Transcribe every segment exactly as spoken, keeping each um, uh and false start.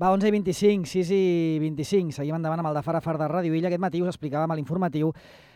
Va, onze i vint-i-cinc, sis i vint-i-cinc. Seguim endavant amb el de Fara Far de Ràdio Illa. Aquest matí us explicàvem a l'informatiu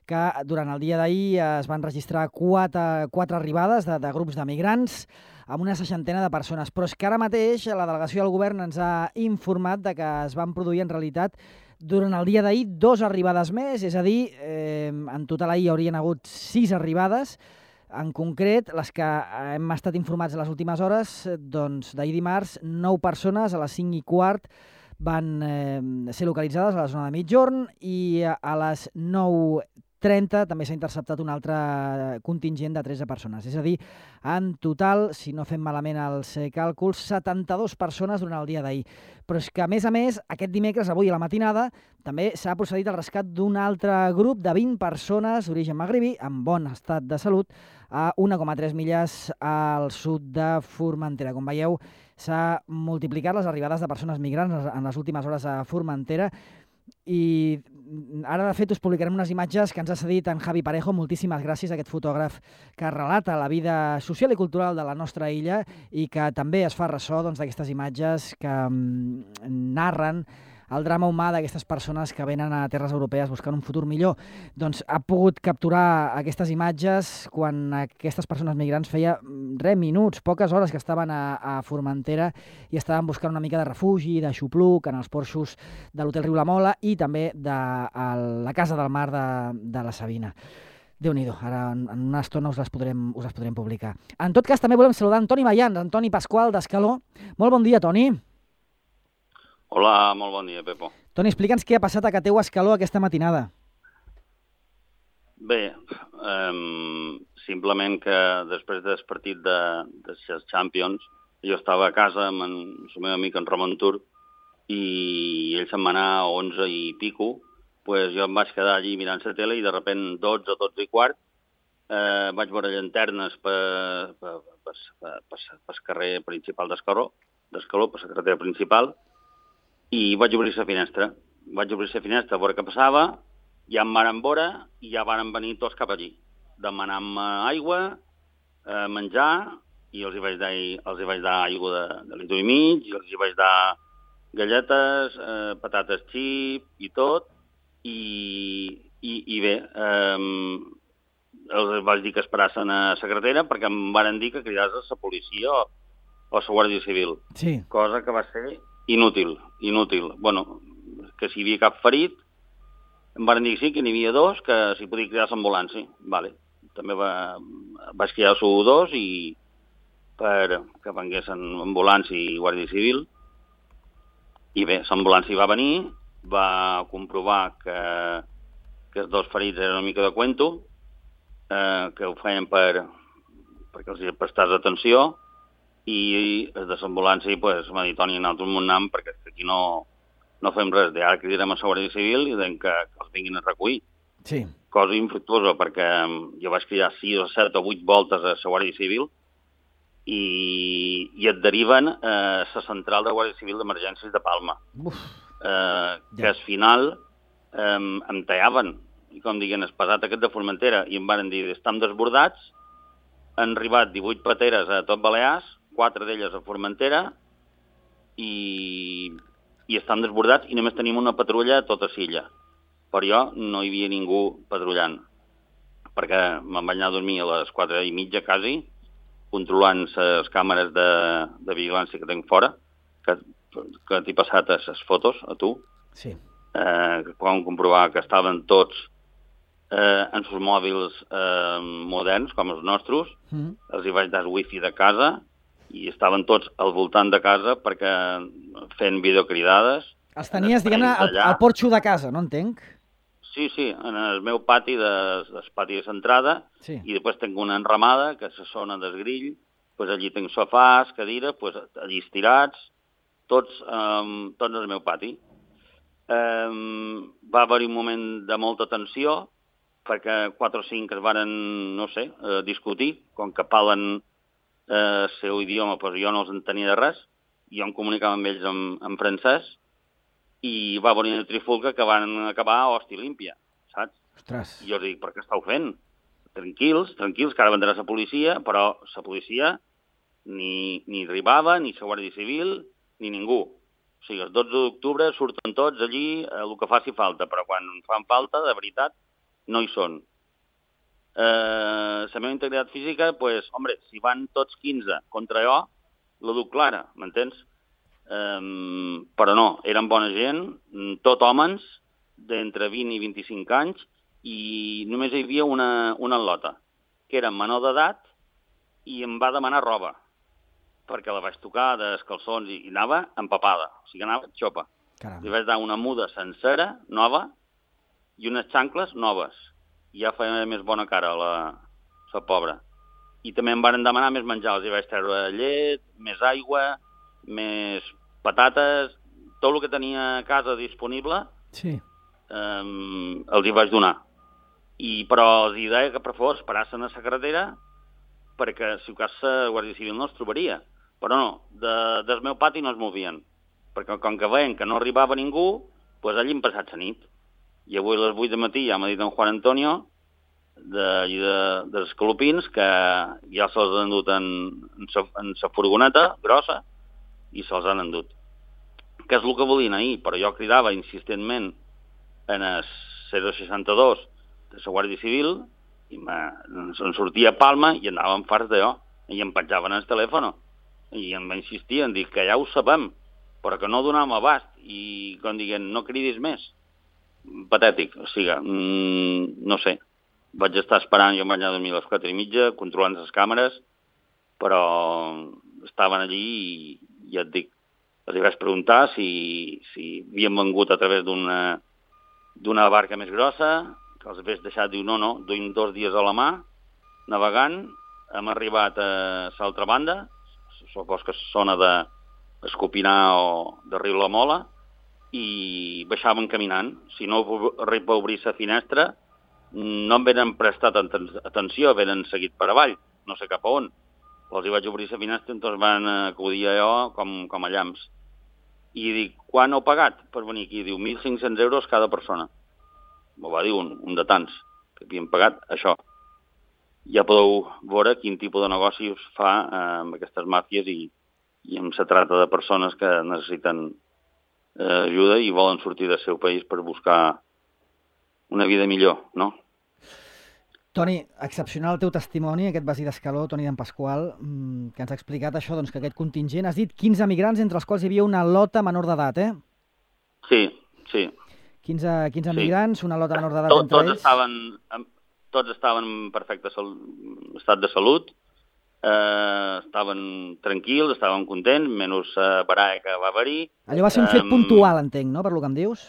que durant el dia d'ahir es van registrar quatre, quatre arribades de, de grups de migrants amb una seixantena de persones. Però és que ara mateix la delegació del govern ens ha informat de que es van produir en realitat durant el dia d'ahir dos arribades més, és a dir, eh, en total ahir hi haurien hagut sis arribades. En concret, les que hem estat informats en les últimes hores, doncs d'ahir dimarts, nou persones a les cinc i quart van eh, ser localitzades a la zona de Migjorn i a les nou trenta també s'ha interceptat un altre contingent de tretze persones. És a dir, en total, si no fem malament els càlculs, setanta-dues persones durant el dia d'ahir. Però és que, a més a més, aquest dimecres, avui a la matinada, també s'ha procedit al rescat d'un altre grup de vint persones d'origen magrebí en bon estat de salut a un coma tres milles al sud de Formentera. Com veieu, s'ha multiplicat les arribades de persones migrants en les últimes hores a Formentera i ara, de fet, us publicarem unes imatges que ens ha cedit en Javi Parejo. Moltíssimes gràcies a aquest fotògraf que relata la vida social i cultural de la nostra illa i que també es fa ressò doncs, d'aquestes imatges que mm, narren el drama humà d'aquestes persones que venen a terres europees buscant un futur millor. Doncs ha pogut capturar aquestes imatges quan aquestes persones migrants feia res, minuts, poques hores que estaven a, a Formentera i estaven buscant una mica de refugi, de xupluc en els porxos de l'Hotel Riu La Mola i també de a la Casa del Mar de, de la Sabina. Déu-n'hi-do, ara en, en una estona us les, podrem, us les podrem publicar. En tot cas, també volem saludar Antoni Mayans, Antoni Pasqual d'Escaló. Molt bon dia, Toni. Hola, molt bon dia, Pepo. Toni, explica'ns què ha passat a Cateu Escaló aquesta matinada. Bé, um, simplement que després del partit de, de les Champions, jo estava a casa amb en, el meu amic en Ramon Tur i ell se'n va anar a onze i pico, pues jo em vaig quedar allí mirant la tele i de repent dotze, dotze i quart eh, vaig veure llanternes per, per, per, per, per, per carrer principal d'Escaló, d'Escaló, per la carretera principal, i vaig obrir la finestra. Vaig obrir la finestra a veure què passava, ja em van veure i ja van venir tots cap allí, demanant-me aigua, eh, menjar, i els hi vaig dar, els hi vaig dar aigua de, de litre i mig, i els hi vaig dar galletes, eh, patates xip i tot, i, i, i bé, eh, els vaig dir que esperassin a la carretera perquè em van dir que cridés a la policia o, o a la Guàrdia Civil, sí. Cosa que va ser inútil, inútil. Bueno, que si hi havia cap ferit, em van dir que sí, que n'hi havia dos, que s'hi podia cridar l'ambulància. Vale. També va, vaig cridar a dos i per que venguessin ambulància i Guàrdia Civil. I bé, l'ambulància va venir, va comprovar que, que els dos ferits eren una mica de cuento, eh, que ho feien per, perquè els hi prestàs atenció, i des de l'ambulància pues, m'ha dit, Toni, nosaltres m'ho anem perquè aquí no, no fem res. Ara cridarem a la Guàrdia Civil i que, que els vinguin a recollir. Sí. Cosa infructuosa, perquè jo vaig cridar sis o set o vuit voltes a la Guàrdia Civil i, i et deriven a la central de Guàrdia Civil d'Emergències de Palma. Uf, eh, que ja. Al final eh, em tallaven, i com diguen, el pesat aquest de Formentera, i em van dir, estem desbordats, han arribat divuit pateres a tot Balears, quatre d'elles a Formentera, i, i estan desbordats i només tenim una patrulla a tota l'illa. Per jo no hi havia ningú patrullant, perquè me'n vaig anar a dormir a les quatre i mitja, quasi, controlant les càmeres de, de vigilància que tinc fora, que, que t'he passat a les fotos, a tu, sí. eh, que poden comprovar que estaven tots eh, en els mòbils eh, moderns, com els nostres, mm. els hi vaig dar el wifi de casa, i estaven tots al voltant de casa perquè fent videocridades. Els tenies, diguem-ne, al, al porxo de casa, no entenc? Sí, sí, en el meu pati, de, el pati de l'entrada, sí. I després tinc una enramada, que és la zona del grill, pues allí tinc sofàs, cadires, pues allí estirats, tots, um, tots al meu pati. Um, va haver-hi un moment de molta tensió, perquè quatre o cinc es varen, no sé, eh, discutir, com que parlen el eh, seu idioma, però jo no els entenia de res, i jo em comunicava amb ells en, en francès, i va venir una trifulca que van acabar a hòstia límpia, saps? Ostres. I jo els dic, per què estàu fent? Tranquils, tranquils, que ara vendrà la policia, però la policia ni, ni arribava, ni la Guàrdia Civil, ni ningú. O sigui, el dotze d'octubre surten tots allí el que faci falta, però quan fan falta, de veritat, no hi són. Eh, la meva integritat física, pues, hombre, si van tots quinze contra jo, la duc clara, m'entens? Eh, però no, eren bona gent, tot homes, d'entre vint i vint-i-cinc anys, i només hi havia una, una al·lota, que era menor d'edat, i em va demanar roba, perquè la vaig tocar dels calçons i, i anava empapada, o sigui, anava xopa. Caram. Li vaig dar una muda sencera, nova, i unes xancles noves. I ja feia més bona cara la, la pobra. I també em van demanar més menjar, els hi vaig treure llet, més aigua, més patates, tot el que tenia a casa disponible, sí. eh, els hi vaig donar. I, però els hi deia que per favor esperassin a la carretera perquè si ho cas la Guàrdia Civil no els trobaria. Però no, de, del meu pati no es movien, perquè com que veien que no arribava ningú, doncs allí hem passat la nit. I avui a les vuit de matí ja m'ha dit en Juan Antonio de, de, dels Escalopins que ja se'ls han endut en, en, sa, en sa furgoneta grossa i se'ls han endut. Que és el que volien ahir, però jo cridava insistentment en el zero seixanta-dos de la Guàrdia Civil i em sortia a Palma i anàvem farts d'allò i em penjaven el telèfon i em va insistir en dir que ja ho sabem però que no donàvem abast i com diguent no cridis més. Patètic, o sigui, mmm, no sé, vaig estar esperant, jo em vaig anar a dormir a les quatre i mitja controlant les càmeres, però estaven allí i ja et dic, els vaig preguntar si, si havien vengut a través d'una d'una barca més grossa, que els hagués deixat, diu, no, no, duim dos dies a la mà, navegant, hem arribat a l'altra banda, supos que sona d'Escopinar o de Riu la Mola, i baixaven caminant. Si no arriba a obrir la finestra, no em venen prestat atenció, venen seguit per avall, no sé cap a on. Els hi vaig obrir la finestra, doncs van acudir a allò com, com a llamps. I dic, quan heu pagat per venir aquí? Diu, mil cinc-cents euros cada persona. M'ho va dir un, un de tants, que havien pagat això. Ja podeu veure quin tipus de negoci us fa eh, amb aquestes màfies i, i amb la trata de persones que necessiten eh, ajuda i volen sortir del seu país per buscar una vida millor, no? Toni, excepcional el teu testimoni, aquest basí d'Escaló, Toni d'en Pasqual, que ens ha explicat això, doncs, que aquest contingent, has dit quinze migrants, entre els quals hi havia una lota menor d'edat, eh? Sí, sí. quinze, quinze sí. migrants, una lota menor d'edat Tot, entre tots ells. Estaven, tots estaven en perfecte estat de salut, eh, estaven tranquils, estaven contents, menys la eh, baralla que va haver-hi. Allò va ser un fet um, puntual, entenc, no?, per lo que em dius?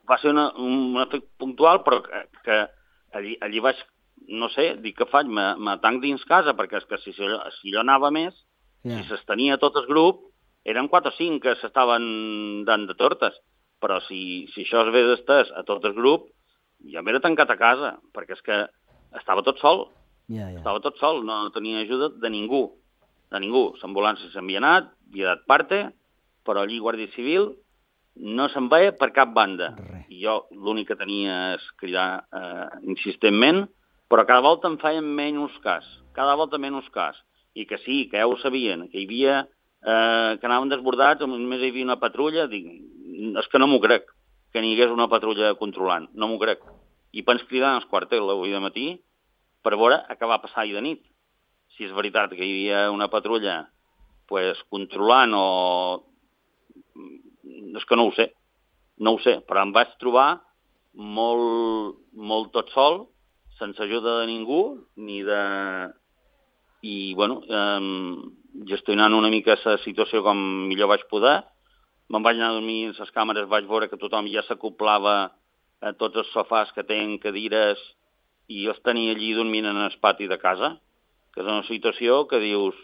Va ser una, un, un fet puntual, però que, que allí, allí vaig, no sé, dic què faig, me, me tanc dins casa, perquè és que si, si, allò, si allò anava més, yeah. si s'estenia tot el grup, eren quatre o cinc que s'estaven dant de tortes. Però si, si això es ve d'estès a tot el grup, jo m'era tancat a casa, perquè és que estava tot sol. Yeah, yeah. Estava tot sol, no tenia ajuda de ningú. De ningú. L'ambulància s'havia anat, havia dat parte, però allí Guàrdia Civil no se'n veia per cap banda. Re. I jo l'únic que tenia és cridar eh, insistentment, però cada volta em feien menys cas. Cada volta menys cas. I que sí, que ja ho sabien, que hi havia... Eh, que anaven desbordats, només hi havia una patrulla, dic, és que no m'ho crec, que n'hi hagués una patrulla controlant, no m'ho crec. I pens cridant als quartels avui de matí per veure què va passar ahir de nit. Si és veritat que hi havia una patrulla pues, controlant o... És que no ho sé, no ho sé, però em vaig trobar molt, molt tot sol, sense ajuda de ningú, ni de... I, bueno, eh, gestionant una mica la situació com millor vaig poder. Me'n vaig anar a dormir en les càmeres, vaig veure que tothom ja s'acoplava a tots els sofàs que tenen, cadires, i els tenia allí dormint en el pati de casa, que és una situació que dius,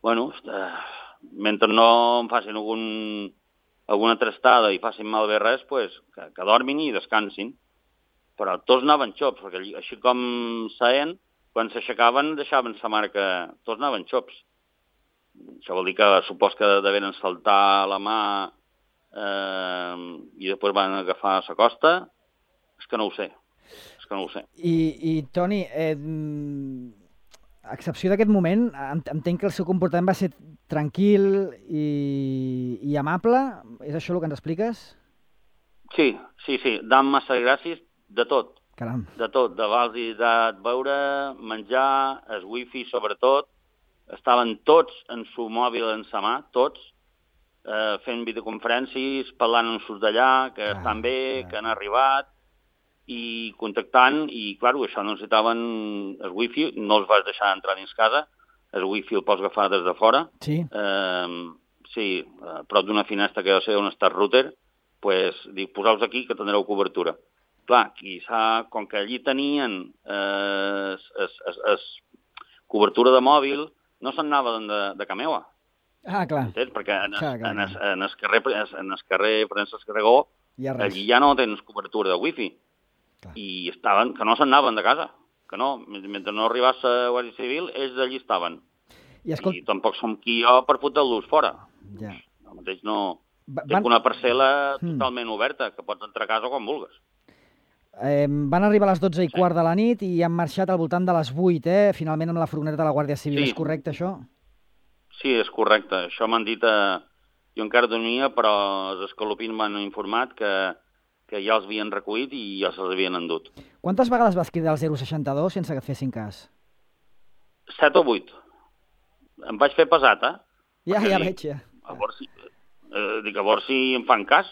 bueno, mentre no em facin algun, alguna trastada i facin malbé res, pues, que, que dormin i descansin. Però tots anaven xops, perquè així com saien, quan s'aixecaven deixaven la marca, tots anaven xops. Això vol dir que supos que deveren saltar la mà eh, i després van agafar la costa. És que no ho sé, és que no ho sé. I, i Toni, eh, a excepció d'aquest moment, entenc que el seu comportament va ser tranquil i, i amable. És això el que ens expliques? Sí, sí, sí. Dan massa gràcies de tot. Caram. De tot. De vals i de beure, menjar, el wifi sobretot. Estaven tots en su mòbil en sa mà, tots, eh, fent videoconferències, parlant amb sus d'allà, que ah, estan bé, ah. que han arribat, i contactant, i, clar, això no necessitaven el wifi, no els vas deixar entrar dins casa, el wifi el pots agafar des de fora. Sí. Eh, sí, a prop d'una finestra que deu ser on està el router, pues, dic, poseu-vos aquí que tindreu cobertura. Clar, quizà, com que allí tenien eh, es, es, es, es, cobertura de mòbil, no se'n anava de, de Cameua. Ah, clar. Entens? Perquè en el, clar, clar, en el, en el carrer, en el carrer Francesc Carregó, ja allí ja no tens cobertura de wifi. Clar. I estaven, que no se'n anaven de casa, que no, mentre no arribés a Guàrdia Civil, ells allí estaven. I, escolt... I tampoc som qui jo per fotre-los fora. Ja. El mateix no... Va, van... una parcel·la totalment hmm. oberta, que pots entrar a casa quan vulguis. Eh, van arribar a les dotze i sí. quart de la nit i han marxat al voltant de les vuit, eh? Finalment amb la furgoneta de la Guàrdia Civil. Sí. És correcte, això? Sí, és correcte. Això m'han dit... A... Jo encara dormia, però els escalopins m'han informat que que ja els havien recollit i ja se'ls havien endut. Quantes vegades vas cridar al zero seixanta dos sense que et fessin cas? Set o vuit. Em vaig fer pesat, eh? Ja, Perquè ja dic, veig, ja. A veure si, eh, dic, a veure si em fan cas,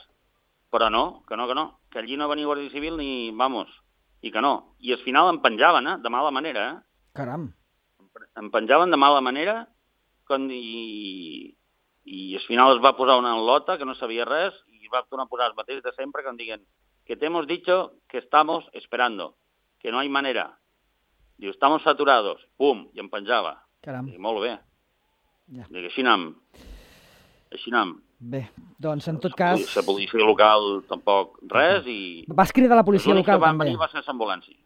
però no, que no, que no. Que allí no venia Guàrdia Civil ni, vamos, i que no. I al final em penjaven, eh? De mala manera, eh? Caram. Em penjaven de mala manera quan, i, i al final es va posar una lota que no sabia res i va tornar a posar els mateixos de sempre que em diguen que te hemos dicho que estamos esperando, que no hay manera. Diu, estamos saturados. Pum, i em penjava. Caram. Dic, molt bé. Ja. Dic, així anem. Així anem. Bé, doncs en tot cas... La policia local tampoc res i... Vas cridar a la policia local també? L'únic que van venir va ser l'ambulància.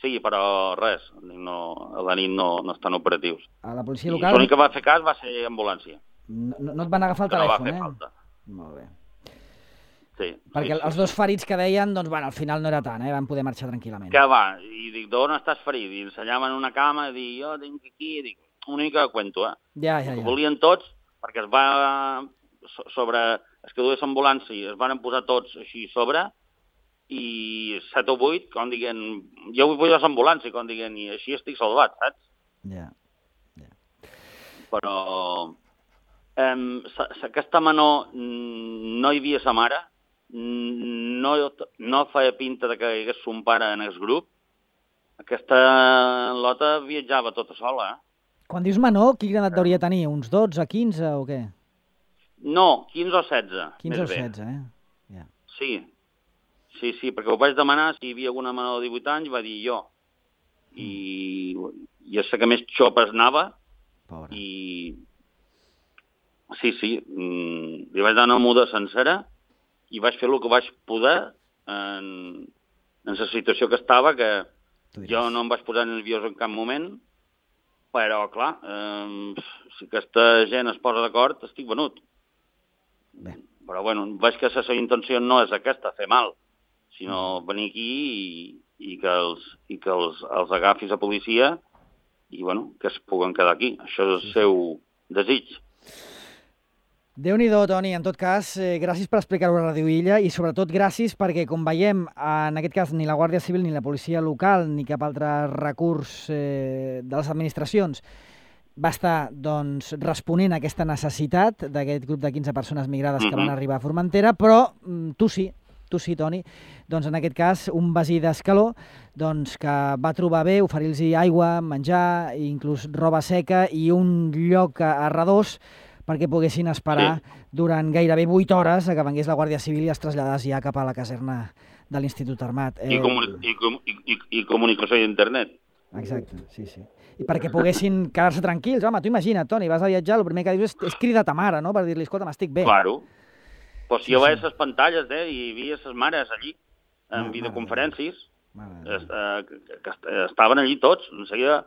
Sí, però res, no, a la nit no, no estan operatius. A la policia local... L'únic que va fer cas va ser ambulància. No, no et van agafar el que telèfon, no va fer eh? falta. Molt bé. Sí. Perquè sí, els sí, dos sí. ferits que deien, doncs, bueno, al final no era tant, eh? Van poder marxar tranquil·lament. Que va, i dic, d'on estàs ferit? I ensenyaven una cama, i dic, jo tinc aquí, i dic, una mica de cuento, eh? Ja, ja, ja. Ho volien tots, perquè es va, sobre, els que dues ambulància, es van posar tots així sobre, i set o vuit, com diguen, jo vull posar l'ambulància, com diguen, i així estic salvat, saps? Ja, ja. Però eh, aquesta menor no hi havia sa mare, no, no feia pinta de que hi hagués son pare en el grup. Aquesta lota viatjava tota sola, eh? Quan dius menor, quina edat hauria de tenir? Uns dotze, quinze o què? No, quinze o setze. quinze o setze, eh? Yeah. Sí, sí, sí, perquè ho vaig demanar si hi havia alguna menor de divuit anys, va dir jo. I, i és que més xopes anava. Pobre. I sí, sí, li vaig dar una muda sencera i vaig fer el que vaig poder en, en la situació que estava, que jo no em vaig posar nerviós en cap moment, però, clar, eh, si aquesta gent es posa d'acord, estic venut. Bé. Però, bueno, veig que la seva intenció no és aquesta, fer mal, sinó venir aquí i, i que, els, i que els, els agafi la policia i, bueno, que es puguen quedar aquí. Això és el seu desig. Déu-n'hi-do, Toni. En tot cas, eh, gràcies per explicar-ho a Ràdio Illa i sobretot gràcies perquè, com veiem, en aquest cas ni la Guàrdia Civil ni la policia local ni cap altre recurs eh, de les administracions va estar doncs, responent a aquesta necessitat d'aquest grup de quinze persones migrades que van arribar a Formentera, però tu sí, tu sí, Toni, doncs en aquest cas un veí d'Escaló doncs, que va trobar bé oferir-los aigua, menjar, inclús roba seca i un lloc a redós perquè poguessin esperar sí. durant gairebé vuit hores a que vengués la Guàrdia Civil i es traslladés ja cap a la caserna de l'Institut Armat. I, comuni i, com i, i, i comunicació d'internet. Exacte, sí, sí. I perquè poguessin quedar-se tranquils. Home, tu imagina't, Toni, vas a viatjar, el primer que dius és, és cridar ta mare, no?, per dir-li, escolta, m'estic bé. Claro. Pues sí, jo sí. veia les pantalles, eh, i hi havia les mares allí, en no, videoconferències, mare, mare. Es, eh, que, que estaven allí tots. En seguida,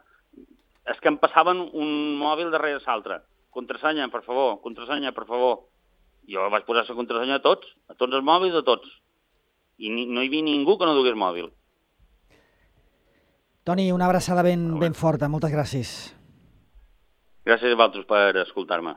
és que em passaven un mòbil darrere l'altre. Contrasenya, per favor, contrasenya, per favor. Jo vaig posar la contrasenya a tots, a tots els mòbils, a tots. I ni, no hi havia ningú que no dugués mòbil. Toni, una abraçada ben, ben forta. Moltes gràcies. Gràcies a vosaltres per escoltar-me.